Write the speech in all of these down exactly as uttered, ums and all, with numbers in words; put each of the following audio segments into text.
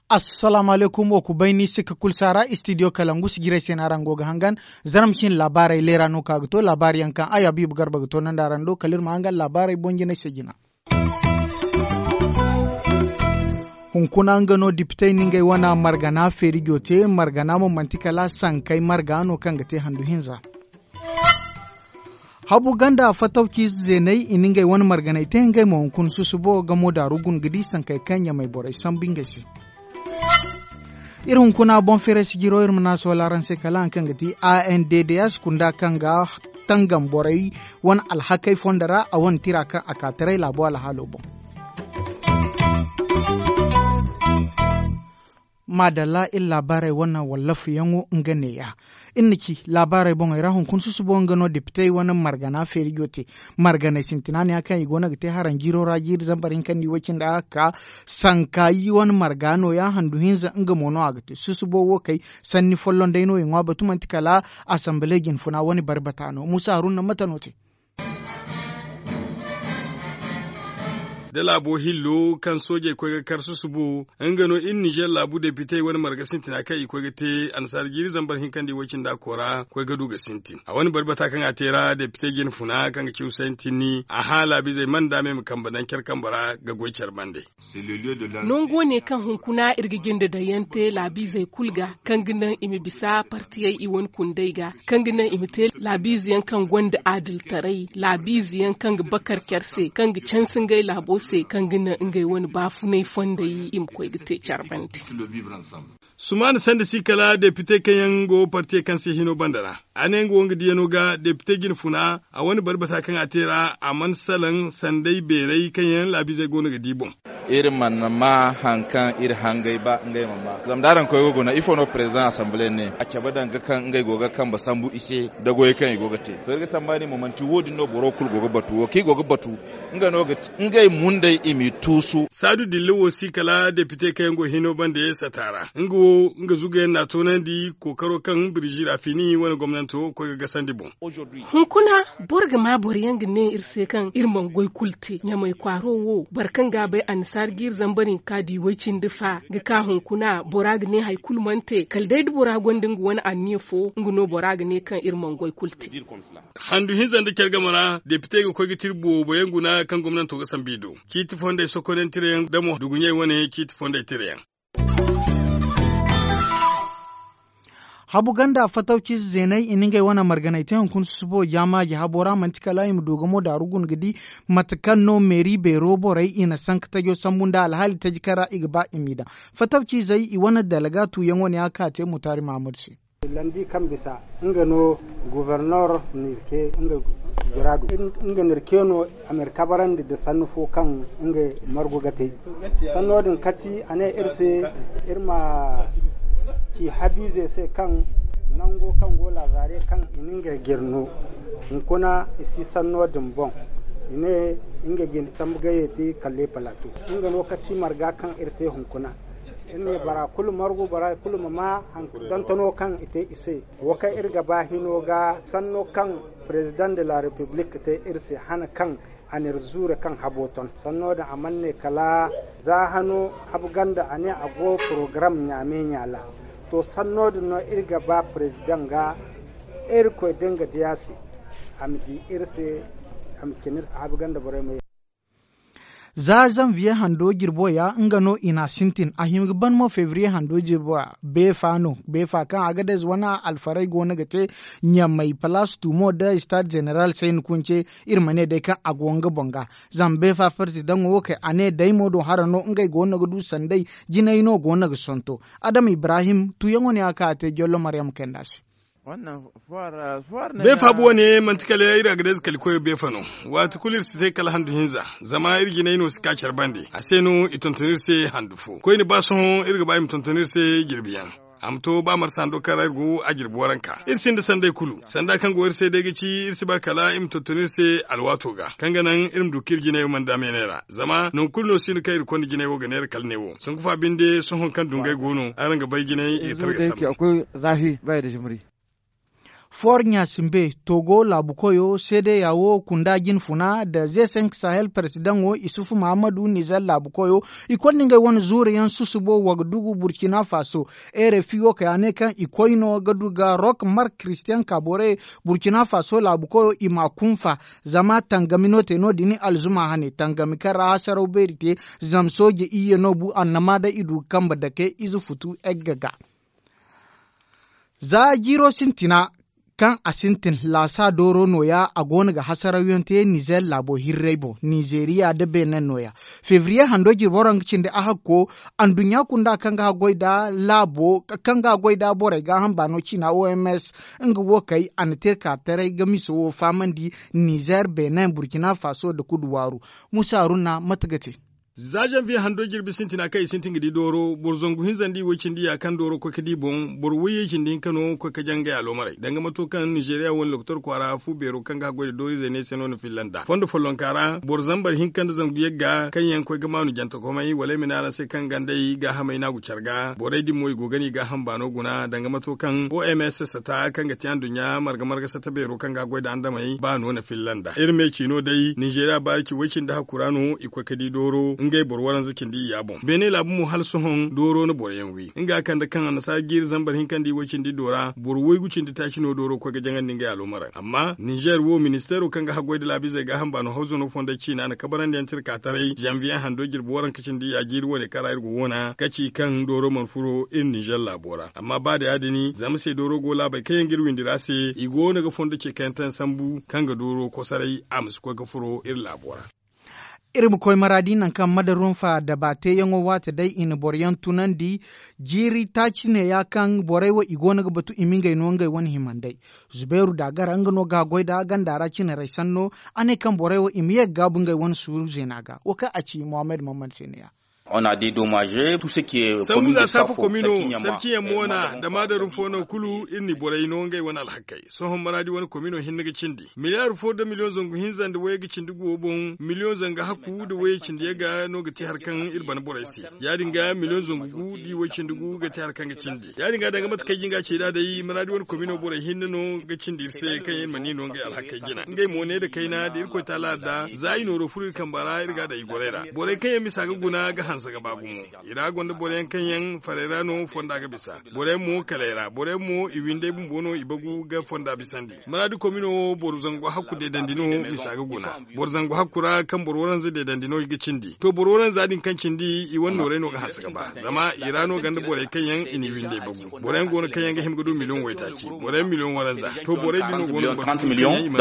Assalaamu alaykum, wo ku bay ni si ka kulu saara istidiyo kalangu sijirey se no araŋ go ga hangan. Zarma cine laabaarey leera no ka ga to laabaari yaŋ kaŋ ay habiibu garba ga to nandi araŋ do kala iri ma hangan laabaarey boŋ jinay se jina. Hunkuna nga no depitey na ngey wane margana feeri go te margana mo manti kala sankey marga no kaŋ ga te handu hinza. Habu ganda fatawci zeeney i na ngey wane marganey te ngey mo hunkuna susubo gamo daaru guna ga di sankey kaŋ ɲamey borey sambu ngey se. Iri hunkuna boŋ feeray sijiro iri ma naasoo laaraŋ se kala haŋ kaŋ ga ti a n d d s kunda kaŋ ga tangam borey wane alhakey fondo ra a wane tira kaŋ a ka taray laabo alhaalo boŋ. Maadalla iri laabaarey wane wallafayaŋo nga neeya. Iri na ci laabaarey boŋey ra hunkuna susubo nga no depitey wane margana feerijo te. Marganey sintina neeya kaŋ i go no ga te haraŋ jiiro ra jiiri zambar hinka nda i way cindi a ga ka sanka i wane marga nooya handu hinza nga mo no a ga te susubo wo kay. Sanni folloŋ day no i ŋwa batu manti kala asambale jinfuna wane bari bata no muusa haruna mate no te. Da laabo hillo kaŋ soojey koy ga kar susubo nga no iri nizer laabu depitey wane marga sintina kaŋ i koy ga te annasaara jiiri zambar hinka nda i way cindi a koora koy ga du ga sintin a wane bari bata kaŋ a te ra depite jinfuna kaŋ ga ci husayn tinni a hã laabiizey mana daamey ma kambe daŋ care kambe ra ga goy care bande. Nango ne kaŋ hunkuna iri ga jinde daŋ yaŋ te laabiizey kulu ga kaŋ ga naŋ i ma bisa partiyey i wane kundey ga kaŋ ga naŋ i ma te laabiize yaŋ kaŋ gonda adiltaray laabiize yaŋ kaŋ ga bakar care se kaŋ ga canse ngey laabo se kaŋ ga naŋ ngey wane baafunay fondey i ma koy ga te care bande. Sumaana sanda si kala depite kaŋ yaŋ go partiyey kaŋ se hino banda ra a ne nga wo nga diyano ga depite jinfuna a wane bari bata kaŋ a te ra a mana salaŋ sanday beeray kaŋ yaŋ laabiizey go no ga di boŋ. Iri mana ma haŋ kaŋ iri hangay ba ngey ma ma zama da araŋ koy ga guna ifo no president assemblee ne a cabe danga kaŋ ngey go ga kambe sambu i se da goyey kaŋ i go ga te to iri ga tambaani mo manti wo- din no boro kulu go ga batu wo kaŋ i go ga batu nga no ga ti ngey mundey i m'i tuusu. Saadu dilla wo si kala depite kaŋ yaŋ go hino bande sata ra nga wo nga zugayaŋ n'a toonandi kookaro kaŋ birzi rafini wane gomnanto koy ga gasandi boŋ. Hunkuna boro ga ma boro yaŋ ga ne iri se kaŋ iri mana goy kulu te ɲamey kwaaro wo boro kaŋ ga a bay annasaara ga iri zambar hinka da i way cindi fa ga ka hunkuna bora ga ne hari kulu mana te kala day da bora gonda nga wane anniya fo nga no bora ga ne kaŋ iri mana goy kulu te. Handu hinza nda care game ra depite ga koy ga te iri boobo yaŋ guna kaŋ gomnanto ga sambu i do ciiti fondey sokonaŋ tira yaŋ da mo duguɲey wane ciiti fondey tira yaŋ. Habu ganda fatawci zeeney i na ngey wane marganey te hunkuna susubo jaamaaji habo ra manti kala i ma du ga mo daaru guna ga di mate kaŋ no meeri beero borey i na sanka tajo sambu nda alhaali taji kaŋ ra i ga ba i m'i daŋ fatawci zey i wane dalga tuuyaŋo ne a ga ka te mutaari mahammadu se. Landi kaŋ bisa nga no guvernor nirke nga juraadu nga nirke no a ma iri kabarandi nda sannu fo kaŋ nga margu ga te. Sanno din kati a ne iri se iri ma ci habiize se kaŋ nango kaŋ go lazaare kaŋ i na nga jire no hunkuna i si sanno din boŋ. I ne nga ga ni sambu gayey te kalle palato nga no kati marga kaŋ iri te hunkuna. Iri ne bora kulu margu bora kulu ma ma haŋ dantano kaŋ i te i se. Wo kaŋ iri ga ba hino ga sanno kaŋ president de la republique te iri se hana kaŋ a na iri zuure kaŋ habo ton sanno din a mana ne kala za hano habu ganda a ne a go porogaram ɲaame ɲaala. To sanno din no iri ga ba president ga irkoy da nga diya se a ma di iri se a ma cina iri se habu ganda borey ma ye. Za zanviye hando jirbo ya nga no i n'a sintin a hima ga ban mo febriye hando jirbo ya beefa no beefa kaŋ agadez wane alfarey go no ga te ɲamey palaas tumo nda istaad zeneral sayni kunce. Iri ma ne day kaŋ a go nga boŋ ga zama beefa parti daŋo wo kay a ne day mo do hara no ngey go no ga du sanday jinay no go no ga sonto. Adam ibrahim tuyaŋo ne a ka a te jollo maryam kay nda se. Beefa bu wane manti kala iri agadez kali koyo beefa no. Waati kulu iri si te kala handu hinza zama iri jinay no si ka care bande a se no i tonton iri se handu fo koyne ba sohõ iri ga ba i ma tonton iri se jirbiyaŋ. a ma to ba marsa hando kaŋ ra iri go a jirbi waranka. Iri sinda sanday kulu sanda kaŋ go iri se day ga ci iri si ba kala iri ma tonton iri se alwaato ga kaŋ ga naŋ iri ma du kaŋ iri jinay wo mana daameenay ra. Zama nangu kulu no si no kaŋ iri konda jinay wo ga neera kala ne wo sanku fa binde sohõ kaŋ dungay go no araŋ ga bay jinay i ga targa sambu. Foor ɲa simbe togo laabu koyo seedeya wo kunda jinfuna nda ze senk sahel peresidaŋo isufu mahammadu nizer laabu koyo i konda ngey wane zuuru yaŋ susubo wagadugu burkina faso. Rfi wo kay a ne kaŋ i koyno ga du ga rok mark christian kabore burkina faso laabu koyo i ma kunfa zama tangami no te no- din alzuma hane tangami kaŋ ra hasaraw beeri te. Zama sooje iyye no bu annama day i du ga kambe dake ize futu egga ga. Za jiiro sintina kaŋ a sintin laasa dooro nooya a go no ga hasarawyaŋ te nizer laabo hirray boŋ nizeriya nda benin nooya. Febriye hando jirbi waraŋ ga cindi a hakko anduɲɲa kunda kaŋ ga haggoy nda laabo kaŋ ga haggoy nda borey gaaham baano ciina oms nga wo kay a na te ka taray ga miso wo fahamandi nizer benin burkina faso nda kudu waaru. Musa haruna mate ga te? Za zanviye hando jirbi sintina kaŋ i sintin ga di dooro boro zangu hinza nda i way cindi ya kaŋ dooro koy ga di boŋ boro wayye cindi hinka no koy ga jaŋ ngey aloomarey danga mato kaŋ nizeriya wane lokotor kwaara fu beero kaŋ ga haggoy nda dooriizey ne se no na filla nd'a fondo follonka ra boro zambar hinka nda zangu yagga kaŋ yaŋ koy ga maanu jantakomey wala ay ma ne araŋ se kaŋ gandey gaahamey no a go care ga borey din mo i go ga no i gaaham baano guna danga mato kaŋ oms sata kaŋ ga te anduɲɲa marga marga sata beero kaŋ ga haggoy nda andamey ba no na filla nd'a iri me ciino day ninzeeriya baari ci way cindi hakku ra no i koy ga di dooro ngey boro waranza cindi iyya boŋ beene laabu mo hala sohõ dooro na boro yaŋ wi nga kande kaŋ annasaara jiiri zambar hinka nda i way cindi do ra boro waygu cindi taaci no dooro koy ga jaŋandi ngey alooma ra amma ninzeer wo ministeero kaŋ ga haggoy nda laabiizey gaaham baano hawzano fondey ciina na kabarandi yaŋ tira ka taray zanviye hando jirbi waranka cindi iyya jiiri wane kaŋ ra iri go wo na ga ci kaŋ dooro mana furo iri ninzeer laabo ra amma ba da ya- din zama se dooro go laabey kaŋ yaŋ ga iri windi ra se i go no ga fondo ce kaŋ yaŋ taŋ sambu kaŋ ga dooro kosoray a ma si koy ga furo iri laabo ra. Iri ma koy maraadi nangu kaŋ madarum fa daba teeyaŋo waate day i na boro yaŋ tunandi. Jiiri taaci neeya kaŋ borey wo i go no ga batu i ma ngey no ngey wane himandey. Zubeeru daagara nga no ga a goy nda ganda ra cine ray sanno. A ne kaŋ borey wo i ma ye ga gaabu ngey wane suuru zeena ga wo kaŋ a ci muhammad muhammad se neeya. Sambu za saafa komino sarci yaŋ mo wana da maadarum fo no kulu iri na i borey no ngey wane alhakey sohõ maraadi wane komino hinne ga cindi miliyaar fo nda miliyoŋ zangu hinza nda wayey ga cindi guwo boŋ miliyoŋ zanga hakku nda wayey cindi yagga no ga te hari kaŋ iri bana borey se. Ya- din ga miliyoŋ zangu gu nda i way cindi gu ga te hari kaŋ ga cindi ya- din ga danga mate kaŋ ay jin ga a ci nd'a day maraadi wane komino borey hinne no ga cindi iri se kaŋ iri mana i no ngey alhakey jina ngey mo ne nda kayna nda irkoy taala adda za i nooro furo iri kamba ra iri ga a daŋ i gorey ra borey kaŋ yaŋ misa ga guna ga hanse ga ba gumo. I ra gonda boro yaŋ kaŋ yaŋ farey ra no fonda ga bisa boro yaŋ mo kaley ra boro yaŋ mo i windey bumbo no i bagu ga fonda bisandi maraadi komino wo boro zangu hakku deedandi no misa ga guna. Boro zangu hakku ra kaŋ boro waranza deedandi no i ga cindi to boro waranza din kaŋ cindi i wane noorey no ga hanse ga ba zama i ra no ganda borey kaŋ yaŋ i n'i windey bagu boro yaŋ go no kaŋ yaŋ ga hima ga du miliyoŋ waytaaci boro yaŋ miliyoŋ waranza to borey din no go no ga batu kaŋ yaŋ i mana.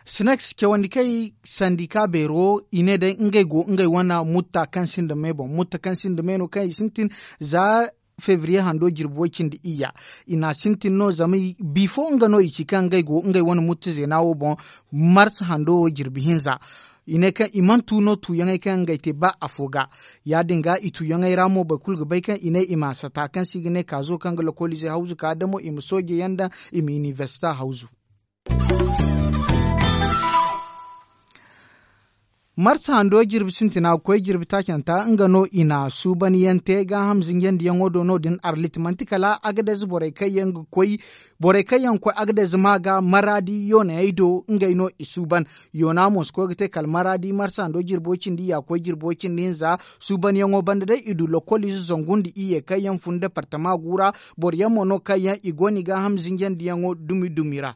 Sinaks cawandi kaŋ i sandi ka beero i ne day ngey go ngey wane mutta kaŋ sinda me boŋ mutta kaŋ sinda me no kaŋ i sintin za febriye hando jirbi way cindi iyya. I n'a sintin no zama bifo nga no i ci kaŋ ngey go ngey wane mutta zeena wo boŋ mars hando wo jirbi hinza. I ne kaŋ i mana tu no tuuyaŋey kaŋ ngey te ba afo ga. Ya- din ga i tuuyaŋey ra mo boro kulu ga bay kaŋ i ne i ma sata kaŋ se i ga ne kaazo kaŋ ga lokolize hawzu ka damo i ma sooje yaŋ daŋ i ma inibersita hawzu. Marsa hando jirbi sintina ga koy jirbi taacanta nga no i na suuban yaŋ te gaaham zinjandiyaŋo do no- din arlit manti kala agadez borey kaŋ yaŋ ga koy borey kaŋ yaŋ ga koy agadez ma ga maraadi yoonayey do ngey no i suuban. Yoona mo si koy ga te kala maraadi marsa hando jirbo cindi ya koy jirbo cindi hinza. Suubanyaŋo banda day i du lokolize zangu nda iyye kaŋ yaŋ fun departama gu ra. Boro yaŋ mo no kaŋ yaŋ i go no i gaaham zinjandiyaŋo dumi dumi ra.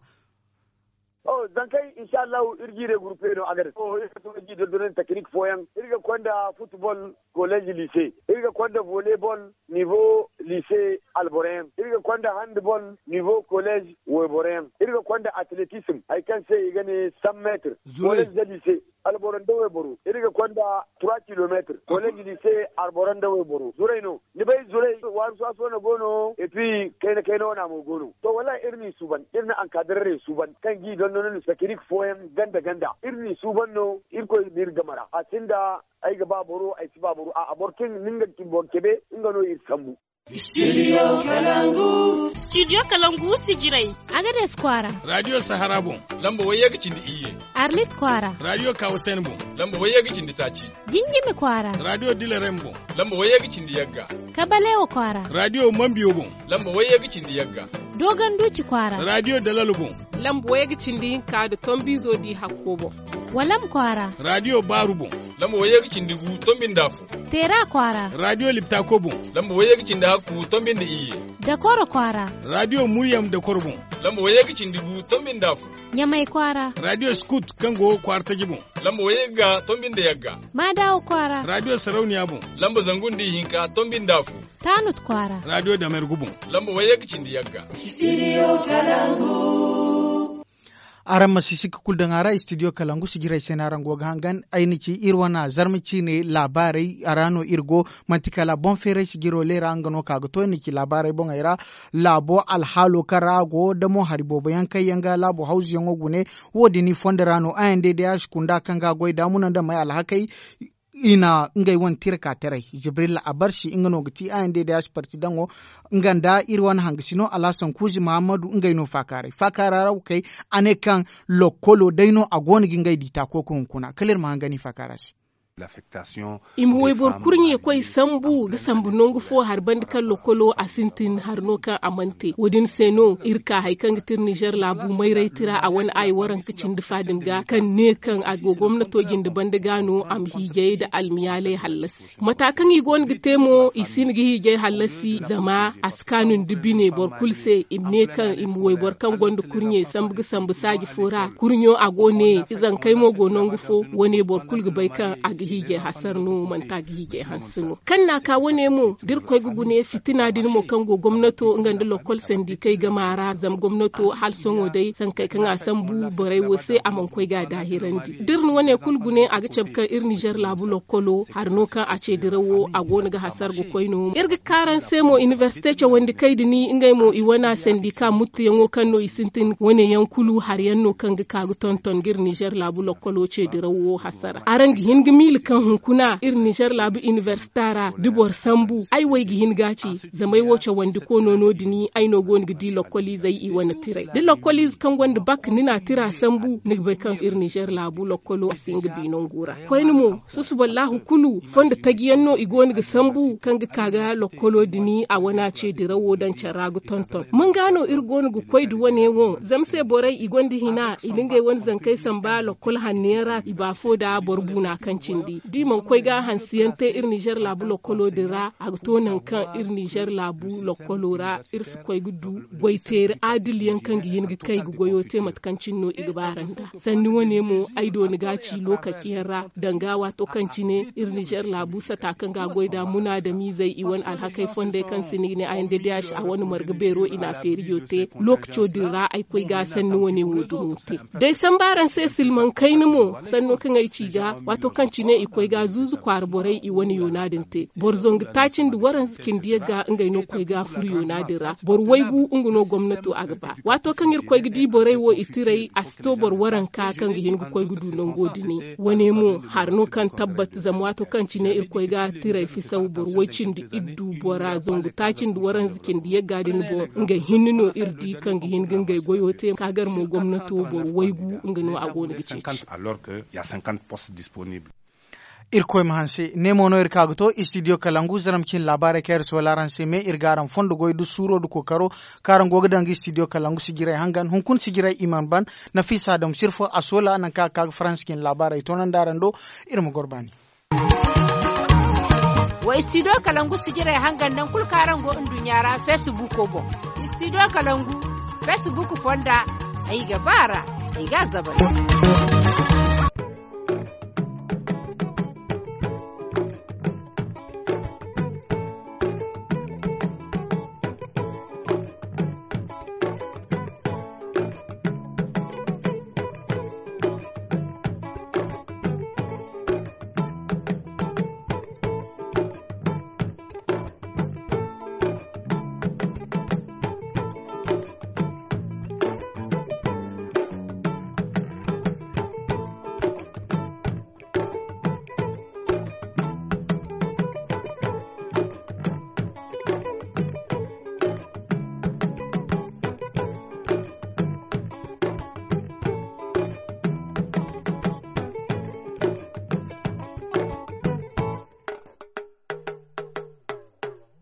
Zankey inshallahu iri jiire gurupe no a ga daŋ iri ga to ga ji dondonandi tekinik fooyaŋ iri ga konda futbol, kolleez, lise, iri ga konda volley bol, nivo. liise alboro yaŋ. Iri ga konda handball nivo kolleez wayboro yaŋ. Iri ga konda atletism hari kaŋ se i ga ne san meetir. Kolleez nda liise alboro nda wayboro iri ga konda trois kilomeetir. Kolleez liise alboro nda wayboro zuray no. Ni bay zuray waaru saaso no go no. Epi kayna kayna wana mo go no to wallaahi iri n'i suuban iri na ankaadararay suuban kaŋ g'i dondono ni sakirik fooyaŋ ganda ganda iri n'i suuban no. Irkoy ma iri game ra a sinda. Ay ga ba boro ay si ba boro a'a boro kaŋ ni nga boro cebe nga no iri sambu. Studio kalangu. Studio kalangu sijiray. Agades kwaara. Radio sahara boŋ. Lamba wayye ga cindi iyye. Arlit kwaara. Radio kawasen boŋ. Lamba wayye ga cindi taaci. Jinjimi kwaara. Radio dilarem boŋ. Lamba wayye ga cindi yagga. Kabalewa kwaara. Radio mambiyo boŋ. Lamba wayye ga cindi yagga. Dogon duci kwaara. Radio dalalo boŋ. Lamba wayye ga cindi hinka da tombizo di hakko boŋ. Walam kwaara. Radio baaru boŋ. Lamba wayye ga cindi gu tombi nda afo. Teera kwaara. Radio liptako boŋ. Lamba wayye ga cindi hakku tombi nda iyye. Dakoro kwaara. Radio muryam dakoro boŋ. Lamba wayye ga cindi gu tombi nda afo. Ɲamay kwaara. Radio skut kaŋ go kwaara taji boŋ. Lamba wayye ga tombi nda yagga. Maadawa kwaara. Radio sarauniya boŋ. Lamba zangu nda ihinka tombi nda afo. Taanut kwaara. Radio damergu boŋ. Lamba wayye ga cindi yagga. Studio kalangu. Araŋ ma si sikka kulu daŋ a ra studio kalangu sijirey se no araŋ go ga hangan ay na ci iri wane zarma ciine laabaarey a ra no iri go. Manti kala boŋ feeray sijiro leera nga no ka ga to iri na ci laabaarey boŋey ra. Laabo alhaalo kaŋ ra a go da mo hari boobo yaŋ kaŋ yaŋ ga laabo hawzuyaŋo gune. Wo- din i fondo ra no a yaŋ day day a si kunda kaŋ ga a goy da muna nda may alhakey. I na ngey wane tira ka taray jibrilla a barsi nga no ga ti a yaŋ day day a si parti daŋo. Nga nda iri wane hangasino alhasan kuuzi mahammadu ngey no faakaaray faakaara ra wo kay. A ne kaŋ lokkolo day no a go no ga ngey di taako ga hunkuna kala iri ma hangani faakaara se. I ma wayboro kurɲe koy sambu ga sambu nangu fo hari banda kaŋ lokkolo a sintin hari no kaŋ a mana te wo- din se no iri ka hari kaŋ ga ti iri nizer laabu mayray tira a wane ay waranka cindi fa din ga kaŋ ne kaŋ a go gomnato jinde banda ga no a ma hiijay nda almiyaalay hallasi mata kaŋ i go no ga te mo i si hin ga hiijay hallasi zama a si kaanu nda bine boro kulu se i ma ne kaŋ i ma wayboro kaŋ gonda kurɲe sambu ga sambu saaji fo ra kurɲo a go ne izankey mo go nangu fo wane boro kulu ga bay kaŋ a ga hiijay hasara no manti a ga hiijay hanse no kaŋ na a ka wane mo da iri koy ga gune fitina din mo kaŋ go gomnato nga nda lokkol sandikey game a ra zama gomnato hala sohõ day sankey kaŋ a sambu borey wo se a mana koy ga a daahirandi da iri na wane kulu gune a ga cabe kaŋ iri nizer laabu lokkolo hari no kaŋ a ce dirawo a go no ga hasara ga koy no iri ga ka araŋ se mo inibersite cawandi kay da ni ngey mo i wane sandika muttuyaŋo kaŋ no i sintin wane yaŋ kulu hari yaŋ no kaŋ ga ka ga tonton ga iri nizer laabu lokkolo ce dirawo hasara araŋ ga hin ga miila kaŋ hunkuna iri nizer laabu inibersita ra da boro sambu ay wo ay ga hin ga a ci zama ay wo cawandi koono no- din ay no go no ga di lokkoliizey i wane tiray da lokkoliize kaŋ gonda bak ni na a tira sambu ni ga bay kaŋ iri nizer laabu lokkolo a si hin ga bi nangu ra koyne mo susuballahu kulu fondo taji yaŋ no i go no ga sambu kaŋ ga ka ga lokkolo din a wane a ce dirawo daŋ care ra ga tonton mun ga no iri go no ga koy da wane wo zama se borey i gonda hina i na ngey wane zankey samba lokkol hanno yaŋ ra i ba fo nda boro buuna kaŋ cindi da i mana koy ga hanse yaŋ te iri nizer laabu lokkolo din ra a ga to nangu kaŋ iri nizer laabu lokkolo ra iri si koy ga du goy teeri adil yaŋ kaŋ ga hin ga kay ga goyo te mate kaŋ cine no i ga ba ra nda sanni wane mo ay dooni ga a ci lookaci yaŋ ra danga waato kaŋ cine iri nizer laabu sata kaŋ ga a goy nda munaadamiizey i wane alhakey fondey kaŋ se ni ga ne a n d d h a wane marga beero i na a feerijo te lookaco din ra ay koy ga sanni wane wo dumo te day samba araŋ se silmaŋ kayna mo sanno kaŋ ay ci ga waato kaŋ cine i koy ga zuuzu kwaara borey i wane yoona din te boro zangu taaci nda waranza cindi yagga ngey no koy ga furo yoona din ra boro waygu nga no gomnato a ga ba waato kaŋ iri koy ga di borey wo i tiray a si to boro waranka kaŋ ga hin ga koy ga du nango dini wane mo hari no kaŋ tabbat zama waato kaŋ cine iri koy ga tiray fisaw boro way cindi iddu bora zangu taaci nda waranza cindi yagga din boŋ nga hinne no iri di kaŋ ga hin ga ngey goyo te ka gar mo gomnato boro waygu nga no a go no ga ceeci. Irkoy ma hanse ne mo no iri ka ga to studio kalangu zaram cin laabaarey kaŋ iri soola araŋ se me iri ga araŋ fondo goy da suuro da kookaro kaŋ araŋ go ga daŋ ga studio kalangu sijirey hangan hunkuna sijirey i mana ban. Nafiisa adamu sirfo a soola nangu kaŋ a ga ka ga faransa cin laabaarey toonandi araŋ do. Iri ma goro baani. Wa studio kalangu sijirey hangan nangu kulu kaŋ araŋ go nduɲɲa ra feesibuuko boŋ. Studio kalangu feesibuuk fonda ay ga ba a ra ay ga a zabari.